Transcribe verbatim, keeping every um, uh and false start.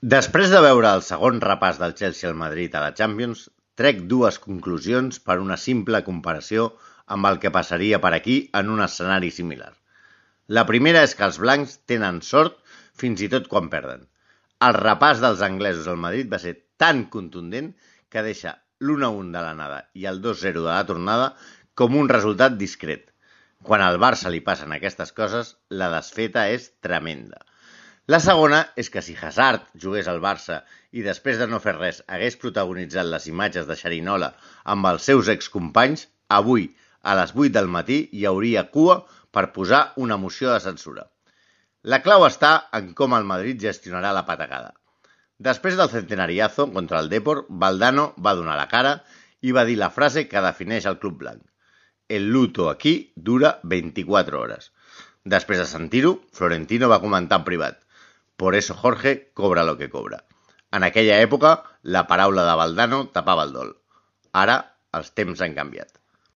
Després de veure el segon repàs del Chelsea al Madrid a la Champions, trec dues conclusions per una simple comparació amb el que passaria per aquí en un escenari similar. La primera és que els blancs tenen sort fins i tot quan perden. El repàs dels anglesos al Madrid va ser tan contundent que deixa l'u a u de l'anada i el dos zero de la tornada com un resultat discret. Quan al Barça li passen aquestes coses, la desfeta és tremenda. La segona és que si Hazard jugués al Barça i després de no fer res hagués protagonitzat les imatges de Xerinola amb els seus excompanys, avui, a les vuit del matí, hi hauria cua per posar una moció de censura. La clau està en com el Madrid gestionarà la patacada. Després del centenariazo contra el Depor, Valdano va donar la cara i va dir la frase que defineix el club blanc. El luto aquí dura veinticuatro hores. Després de sentir-ho, Florentino va comentar en privat. Por eso Jorge cobra lo que cobra. En aquella època, la paraula de Valdano tapava el dol. Ara, els temps han canviat.